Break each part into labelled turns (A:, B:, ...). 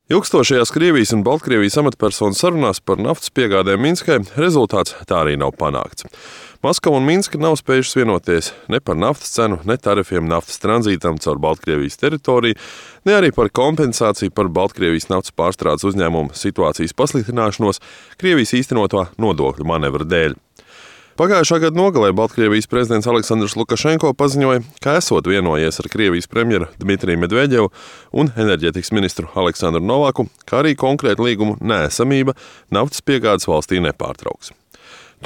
A: Ilgstošajās Krievijas un Baltkrievijas amatpersonu sarunās par naftas piegādēm Minskai rezultāts tā arī nav panākts. Maskava un Minska nav spējušas vienoties ne par naftas cenu, ne tarifiem naftas tranzītam caur Baltkrievijas teritoriju, ne arī par kompensāciju par Baltkrievijas naftas pārstrādes uzņēmumu situācijas pasliktināšanos Krievijas īstenotā nodokļu manevra dēļ. Pagājušā gada nogalē Baltkrievijas prezidents Aleksandrs Lukašenko paziņoja, ka esot vienojies ar Krievijas premjeru Dmitriju Medvedevu un enerģētikas ministru Aleksandru Novaku, kā arī konkrēta līguma neesamība naftas piegādes valstī nepārtrauks.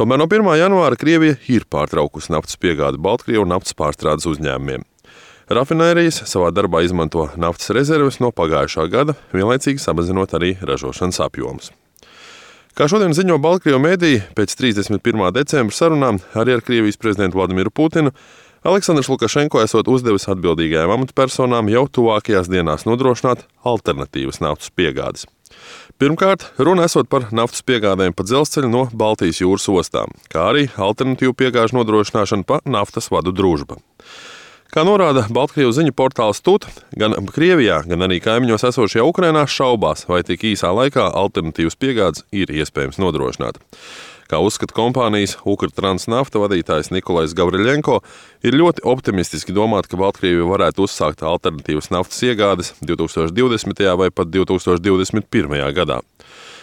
A: Tomēr no 1. janvāra Krievija ir pārtraukusi naftas piegādi Baltkrievu naftas pārstrādes uzņēmumiem. Rafinērijas savā darbā izmanto naftas rezerves no pagājušā gada, vienlaicīgi samazinot arī ražošanas apjomus. Kā šodien ziņo Baltkrievu mediji, pēc 31. decembra sarunām arī ar Krievijas prezidentu Vladimiru Putinu, Aleksandrs Lukašenko esot uzdevis atbildīgajām amatpersonām jau tuvākajās dienās nodrošināt alternatīvas naftas piegādes. Pirmkārt, runa esot par naftas piegādēm pa dzelzceļu no Baltijas jūras ostām, kā arī alternatīvu piegāžu nodrošināšanu pa naftas vadu Družba. Kā norāda Baltkrievu ziņu portāls TUT, gan Krievijā, gan arī kaimiņos esošajā Ukrainā šaubās, vai tik īsā laikā alternatīvas piegādes ir iespējams nodrošināt. Kā uzskata kompānijas Ukrtransnafta vadītājs Nikolais Gavriļenko, ir ļoti optimistiski domāt, ka Baltkrievija varētu uzsākt alternatīvas naftas iegādes 2020. vai pat 2021. gadā.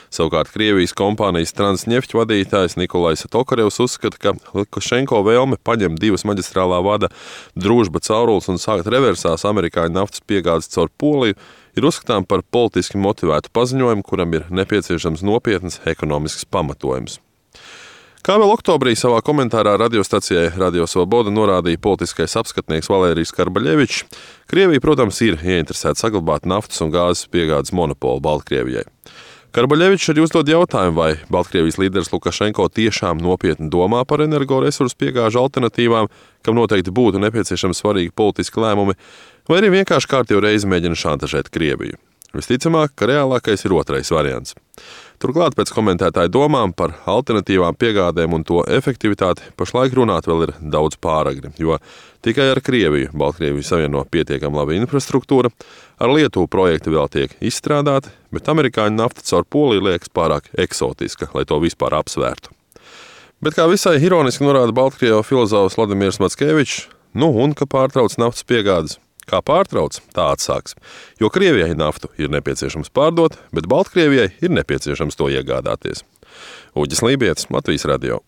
A: Savukārt Krievijas kompānijas Transņeft vadītājs Nikolais Tokarevs uzskata, ka Lukašenko vēlme paņemt divas maģistrālā vada Družba caurules un sākt reversās amerikāņu naftas piegādes caur Poliju ir uzskatām par politiski motivētu paziņojumu, kuram ir nepieciešams nopietnas ekonomisks pamatojums. Kā vēl oktobrī savā komentārā radiostacijai Radio Svoboda norādīja politiskais apskatnieks Valērijs Karbaļevičs, Krievija, protams, ir ieinteresēta saglabāt naftas un gāzes piegādes monopolu Baltkrievijai. Karbaļevičs arī uzdod jautājumu, vai Baltkrievijas līderis Lukašenko tiešām nopietni domā par energoresursu piegāžu alternatīvām, kam noteikti būtu nepieciešami svarīgi politiski lēmumi, vai arī vienkārši kārtīgi reizi mēģina šantažēt Krieviju. Visticamāk, ka reālākais ir otrais variants. Turklāt pēc komentētāju domām par alternatīvām piegādēm un to efektivitāti pašlaik runāt vēl ir daudz pāragri, jo tikai ar Krieviju Baltkrieviju savieno pietiekami laba infrastruktūra, ar Lietuvu projekti vēl tiek izstrādāti, bet amerikāņu nafta caur Poliju liekas pārāk eksotiska, lai to vispār apsvērtu. Bet kā visai ironiski norāda Baltkrievu filozofs Vladimirs Mackevičs, un ka pārtrauc naftas piegādes. Kā pārtrauc, tā atsāks, jo Krievijai naftu ir nepieciešams pārdot, bet Baltkrievijai ir nepieciešams to iegādāties. Uģis Lībietis, Latvijas radio.